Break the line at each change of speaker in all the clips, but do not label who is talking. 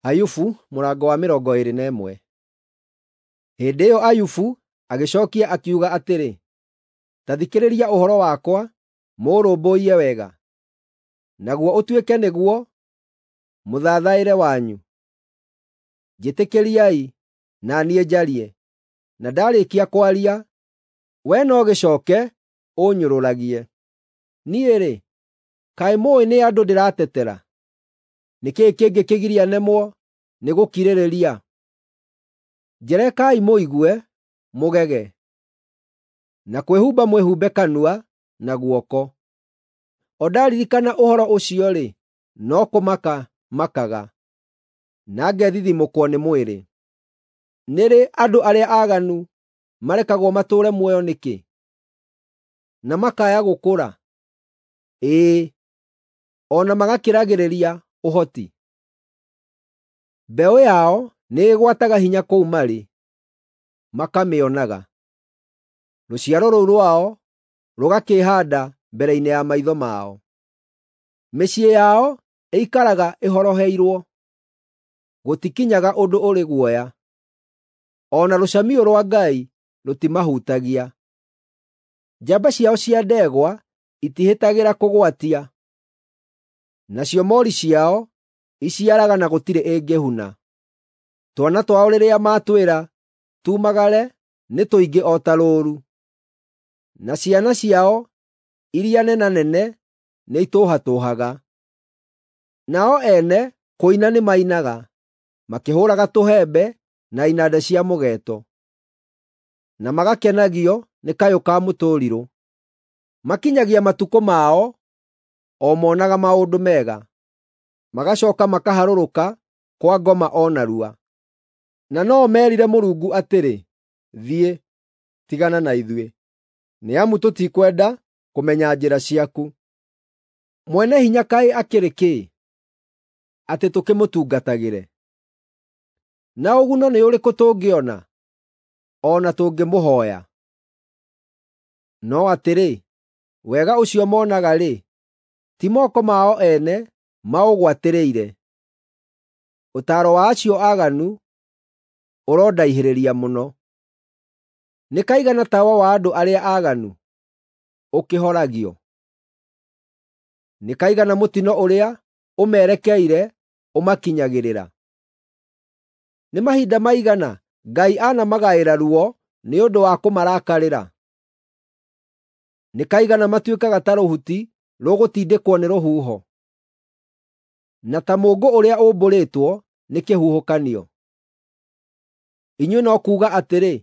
Ayubu mũrango wa 21. Hĩndĩ ĩyo Ayubu agĩcookia akiuga atĩrĩ, “Ta thikĩrĩria ũhoro wakwa mũũrũmbũiye wega, naguo ũtuĩke nĩguo mũthathaĩre wanyu. Njĩtĩkĩriai na niĩ njarie, na ndaarĩkia kwaria, wee no gĩcooke ũũnyũrũragie. Niĩ-rĩ, kaĩ mũũĩ nĩ andũ ndĩratetera? Nĩ kĩĩ kĩngĩkĩgiria nemwo nĩ gũkirĩrĩria? Njerekai mũigue, mũgege, na kwĩhumba mwĩhumbe kanua na guoko. O ndaririkana ũhoro ũcio-rĩ, no kũmaka makaga, na ngethithimũkwo nĩ mwĩrĩ. Nĩ rĩ andũ arĩa aaganu marekagwo matũũre muoyo nĩkĩ, na makaaya gũkũra, ĩĩ, o na magakĩragĩrĩria ũhoti? Mbeũ yao nĩĩgwataga hinya kũu marĩ, makamĩonaga; rũciaro rũu rwao rũgakĩĩhaanda mbere-inĩ ya maitho mao. Mĩciĩ yao ĩikaraga ĩhoroheirwo, gũtikinyaga ũndũ ũrĩ guoya; o na rũcamiũ rwa Ngai rũtimahutagia. Njamba ciao cia ndegwa itihĩtagĩra kũgwatia, nacio moori ciao iciaraga na gũtirĩ ĩngĩhuna. Twana twao rĩrĩa matwĩra tumagare nĩ tũingĩ o ta rũũru, na ciana ciao iria nenanene nĩitũhatũũhaga. Nao ene kũina nĩmainaga, makĩhũũraga tũhembe na inanda cia mũgeeto, na magakenagio nĩ kayũ ka mũtũrirũ. Makinyagia matukũ mao o moonaga maũndũ mega, magacooka makaharũrũka kwa ngoma o narua. Na no-o meerire Mũrungu atĩrĩ, ‘Thiĩ, tigana na ithuĩ, nĩ amu tũtikwenda kũmenya njĩra ciaku. Mwene-Hinya kaĩ akĩrĩ kĩ, atĩ tũkĩmũtungatagĩre? Na ũguno nĩ ũrĩkũ tũngĩona, o na tũngĩmũhooya?’ No atĩrĩ, wega ũcio moonaga-rĩ, ti moko mao ene maũgwatĩrĩire. Ũtaaro wa acio aaganu ũrondaihĩrĩria mũno. Nĩ kaigana tawa wa andũ arĩa aaganu ũkĩhoragio? Nĩ kaigana mũtino ũrĩa ũmerekeire ũmakinyagĩrĩra? Nĩ mahinda maigana Ngai anamagaĩra ruo nĩ ũndũ wa kũmarakarĩra? Nĩ kaigana matuĩkaga ta rũhuti rũgũtindĩkwo nĩ rũhuho, na ta mũũngũ ũrĩa ũmbũrĩtwo nĩ kĩhuhũkanio? Inyuĩ no kuuga atĩrĩ,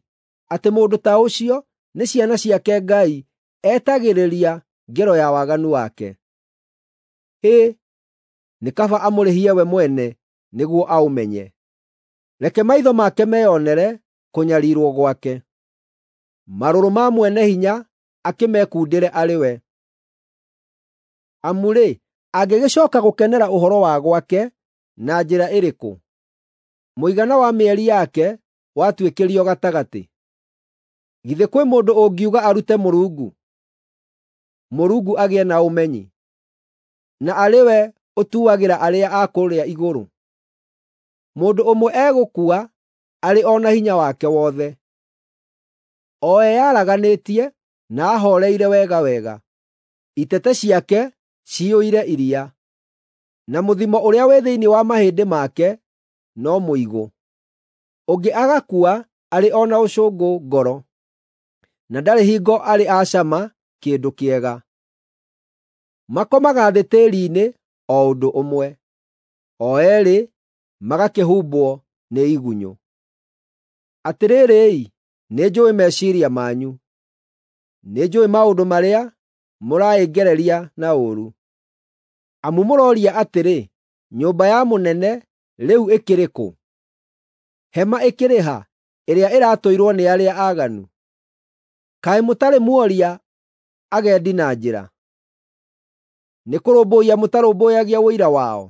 atĩ mũndũ ta ũcio nĩ ciana ciake Ngai etagĩrĩria ngero ya waganu wake. Hĩ, nĩ kaba amũrĩhie we mwene nĩguo aũmenye! Reke maitho make meyonere kũnyariirwo gwake; marũrũ ma Mwene-Hinya akĩmekundĩre arĩ we. Amu-rĩ, angĩgĩcooka gũkenera ũhoro wa gwake na njĩra ĩrĩkũ, mũigana wa mĩeri yake watuĩkĩrio gatagatĩ? Githĩ kwĩ mũndũ ũngiuga arute Mũrungu, Mũrungu agĩe na ũmenyi, na arĩ we ũtuagĩra arĩa a kũrĩa igũrũ? Mũndũ ũmwe egũkua arĩ o na hinya wake wothe, o eyaraganĩtie na ahooreire wega wega. Itete ciake ciyũire iria, na mũthimo ũrĩa wĩ thĩinĩ wa mahĩndĩ make no mũigũ. Ũngĩ agakua arĩ o na ũcũngũ ngoro, na ndarĩ hingo arĩ acama kĩndũ kĩega. Makomaga thĩ tĩĩri-inĩ o ũndũ ũmwe, o eerĩ magakĩhumbwo nĩ igunyũ. Atĩrĩrĩ-i, nĩnjũũĩ meciiria manyu; nĩnjũũĩ maũndũ marĩa mũraĩngereria na ũũru. Amu mũrooria atĩrĩ, “Nyũmba ya mũnene rĩu ĩkĩrĩ kũ? Hema ĩkĩrĩ ha, ĩrĩa ĩratũirwo nĩ arĩa aaganu?” Kaĩ mũtarĩ muoria agendi na njĩra? Nĩkũrũmbũiya mũtarũmbũyagia ũira wao?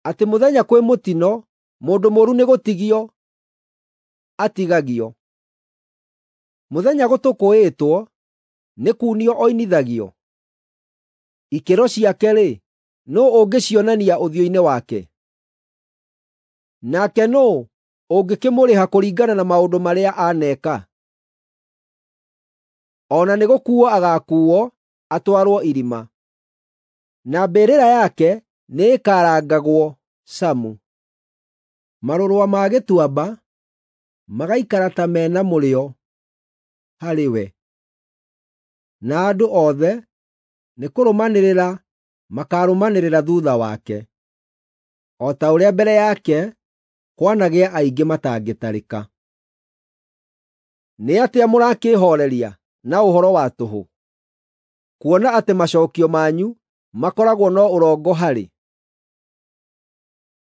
Atĩ mũthenya kwĩ mũtino mũndũ mũũru nĩgũtigio atigagio; mũthenya gũtũkũĩtwo nĩ kuunio oinithagio? Ikĩro ciake-rĩ, nũũ ũngĩcionania ũthiũ-inĩ wake? Nake nũũ ũngĩkĩmũrĩha kũringana na maũndũ marĩa aaneka? O na nĩgũkuuo agaakuuo atwarwo irima, na mbĩrĩra yake nĩĩkarangagwo camu. Marũrua ma gĩtuamba magaikara ta me na mũrĩo harĩ we, na andũ othe nĩkũrũmanĩrĩra makaarũmanĩrĩra thuutha wake, o ta ũrĩa mbere yake kwanagĩa aingĩ matangĩtarĩka. Nĩ atĩa mũrakĩĩhooreria na ũhoro wa tũhũ, kuona atĩ macookio manyu makoragwo no ũrongo harĩ?